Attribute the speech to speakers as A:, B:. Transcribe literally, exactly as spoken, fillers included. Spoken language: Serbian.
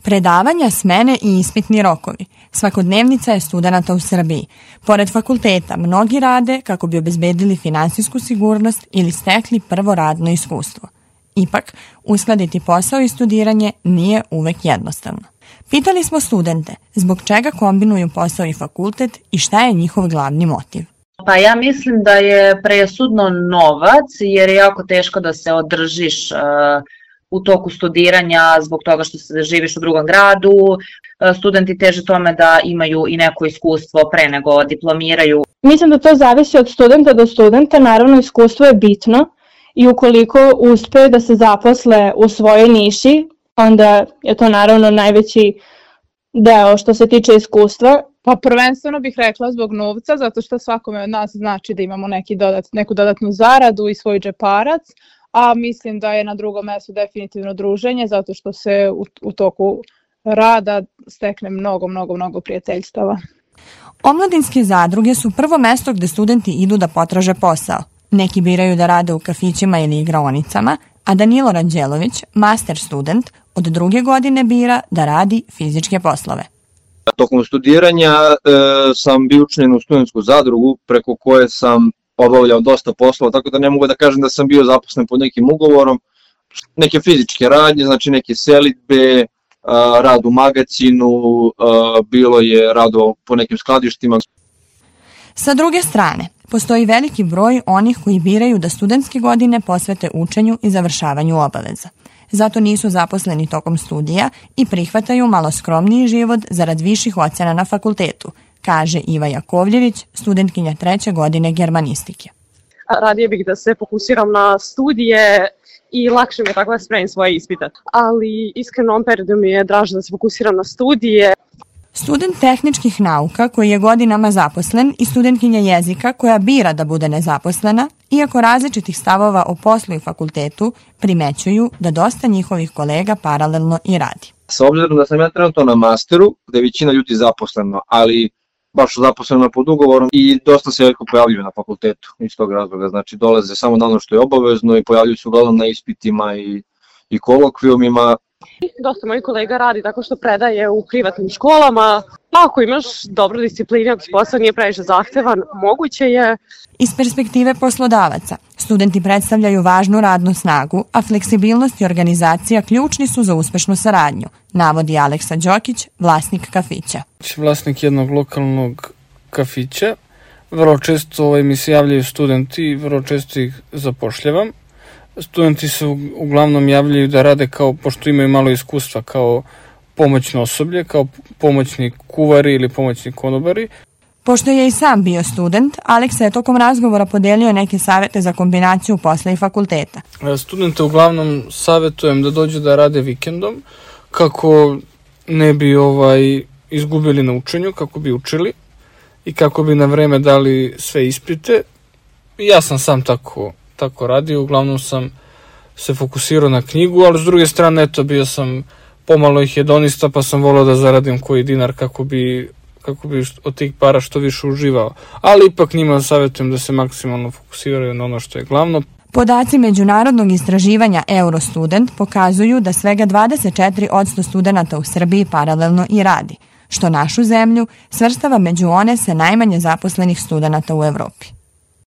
A: Predavanja, smene i ispitni rokovi. Svakodnevnica je studenata u Srbiji. Pored fakulteta, mnogi rade kako bi obezbedili finansijsku sigurnost ili stekli prvo radno iskustvo. Ipak, uskladiti posao i studiranje nije uvek jednostavno. Pitali smo studente zbog čega kombinuju posao i fakultet i šta je njihov glavni motiv.
B: Pa ja mislim da je presudno novac, jer je jako teško da se održiš uh, u toku studiranja zbog toga što se živiš u drugom gradu. Uh, studenti teže tome da imaju i neko iskustvo pre nego diplomiraju.
C: Mislim da to zavisi od studenta do studenta, naravno iskustvo je bitno i ukoliko uspeju da se zaposle u svojoj niši, onda je to naravno najveći deo što se tiče iskustva.
D: Pa prvenstveno bih rekla zbog novca, zato što svakome od nas znači da imamo neki dodat, neku dodatnu zaradu i svoj džeparac, a mislim da je na drugom mestu definitivno druženje, zato što se u, u toku rada stekne mnogo, mnogo, mnogo prijateljstava.
A: Omladinske zadruge su prvo mesto gde studenti idu da potraže posao. Neki biraju da rade u kafićima ili igraonicama, a Danilo Ranđelović, master student, od druge godine bira da radi fizičke poslove.
E: Tokom studiranja e, sam bio učlanjen u studentsku zadrugu preko koje sam obavljao dosta poslova, tako da ne mogu da kažem da sam bio zaposlen pod nekim ugovorom. Neke fizičke radnje, znači neke selidbe, a, rad u magacinu, a, bilo je rado po nekim skladištima.
A: Sa druge strane, postoji veliki broj onih koji biraju da studentske godine posvete učenju i završavanju obaveza. Zato nisu zaposleni tokom studija i prihvataju malo skromniji život zarad viših ocena na fakultetu, kaže Iva Jakovljević, studentkinja treće godine germanistike.
F: Radije bih da se fokusiram na studije i lakše mi je tako da spremim svoje ispite. Ali iskreno u ovom periodu mi je draže da se fokusiram na studije.
A: Student tehničkih nauka koji je godinama zaposlen i studentkinja jezika koja bira da bude nezaposlena, iako različitih stavova o poslu i fakultetu, primećuju da dosta njihovih kolega paralelno i radi.
E: S obzirom da sam ja trenutno na masteru, gde je većina ljudi zaposleno, ali baš zaposleno pod ugovorom i dosta se veliko pojavljuju na fakultetu iz tog razloga. Znači dolaze samo na ono što je obavezno i pojavljuju se uglavnom na ispitima i, i kolokvijumima.
F: Dosta mojih kolega radi tako što predaje u privatnim školama. Ako imaš dobru disciplinu, ako posao nije previše zahtevan, moguće je.
A: Iz perspektive poslodavaca, studenti predstavljaju važnu radnu snagu, a fleksibilnost i organizacija ključni su za uspešnu saradnju, navodi Aleksa Đokić, vlasnik kafića.
G: Vlasnik jednog lokalnog kafića. Vrlo često ovaj, mi se javljaju studenti i vrlo često ih zapošljavam. Studenti se uglavnom javljaju da rade kao, pošto imaju malo iskustva, kao pomoćno osoblje, kao pomoćni kuvari ili pomoćni konobari.
A: Pošto je i sam bio student, Aleksa je tokom razgovora podelio neke savete za kombinaciju posla i fakulteta.
G: Studente uglavnom savetujem da dođu da rade vikendom, kako ne bi ovaj izgubili na učenju, kako bi učili i kako bi na vreme dali sve ispite. Ja sam sam tako tako radio, uglavnom sam se fokusirao na knjigu, ali s druge strane, eto, bio sam pomalo i hedonista, pa sam volao da zaradim koji dinar kako bi, kako bi od tih para što više uživao. Ali ipak njima savjetujem da se maksimalno fokusiraju na ono što je glavno.
A: Podaci međunarodnog istraživanja Eurostudent pokazuju da svega dvadeset četiri posto studenata u Srbiji paralelno i radi, što našu zemlju svrstava među one sa najmanje zaposlenih studenata u Evropi.